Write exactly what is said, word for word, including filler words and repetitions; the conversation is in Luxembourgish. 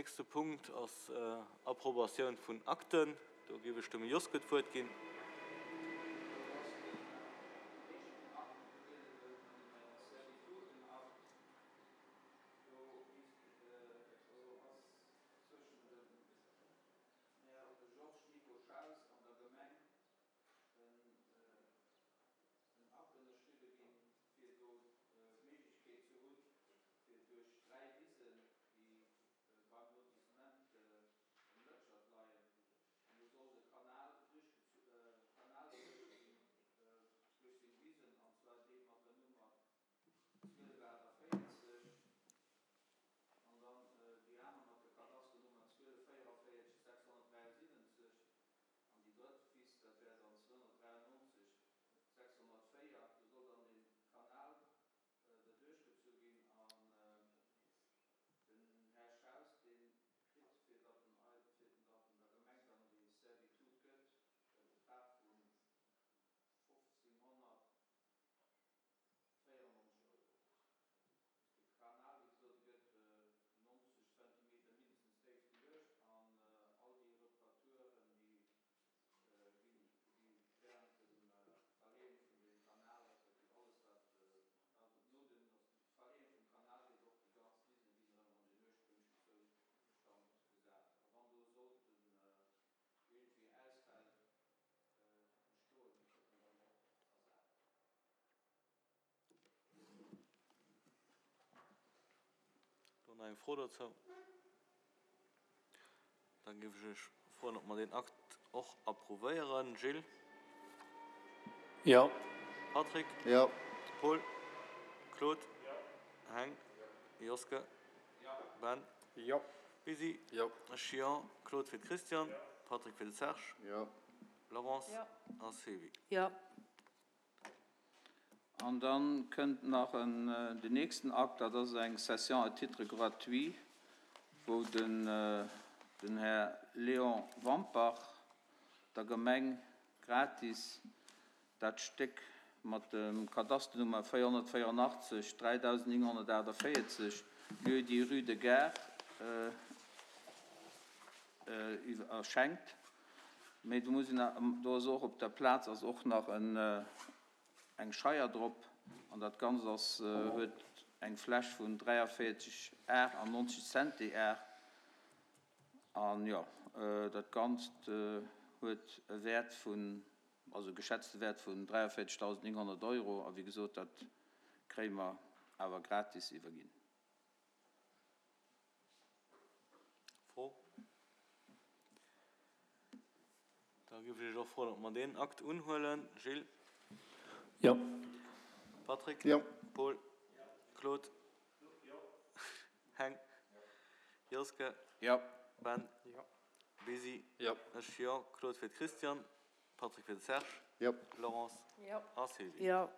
Nächste Punkt ass Approbatioun vun Akten. Do géif ech dem Joske d'Wuert ginn. Beim Lotissement Um Lëtschert leien, an do soll de Kanal Kanal duerchginn duerch seng Wisen, an zwar dee mat der Nummer zwielef aachtavéierzeg an dann déi aner mat der Kadasternummer zwielef véierunvéierzeg sechshonnertdräiasiwwenzeg an déi drëtt Wiss, dat wär dann zweehonnertdräiannonzeg sechshonnertvéier. Do soll dann dee Kanal derduerchgezu ginn an den Här Schaus, dee kritt, fir datt en ei, fir datt en der Gemeng dann déi Servitude gëtt, e Betrag vu fofzénghonnertvéierennonzeg Euro. De Kanal, wéi gesot, e gëtt nonzeg Zentimeter mindestens déif geluecht an all déi Reparaturen, déi ginn, gi während dem Verleeën vun deem Kanal, respektiv alles wat Also no dem Verleeën vum Kanal gétt och déi ganz Wisen ginn erëm an den ursprünglechen Zoustand gesat. A wann do sollten iergendwéi Ausfäll entstoen, déi kënnen dann och ersat ginn. Do nach eng Fro dozou? Da géif ech Iech froen, ob mer deen Akt och approuvéieren. Gilles? Jo. Patrick? Jo. Paul? Claude? Heng? Joske? Ben? Jo. Lisi? Jo. Ech jo. Claude fir d'Christiane? Patrick fir de Serge? Jo. Laurence? A Sylvie? Jo. An da kënnt nach den nächsten Akt, dat ass eng Cession à titre gratuit, wou den Här Léon Wampach der Gemeng gratis dat Stéck mat dem Kadasternummer véierhonnertvéierundachtzeg dräidausendnénghonnertaachtavéierzeg, lieu-dit rue de Gare, schenkt. Mee do muss een, do ass och op der Plaz ass och nach eng Scheier drop an dat Ganzt ass, huet eng Fläch vun dräiavéierzeg Ar an nonzeg Zentiar. An jo, dat Ganzt huet e Wäert vun, also e geschätzte Wäert vun dräiavéierzegdausendnénghonnert Euro. A wéi gesot, dat kréie mer awer gratis iwwerginn. Fro? Da géif ech Iech och froen, ob mer deen Akt unhuelen. Gilles? Jo. Patrick? Jo. Paul? Claude? Heng? Joske? Jo. Ben? Jo. Besi? Jo. Ech jo. Claude fir d'Christiane, Patrick fir de Serge. Jo. Laurence? Jo. A Sylvie? Jo.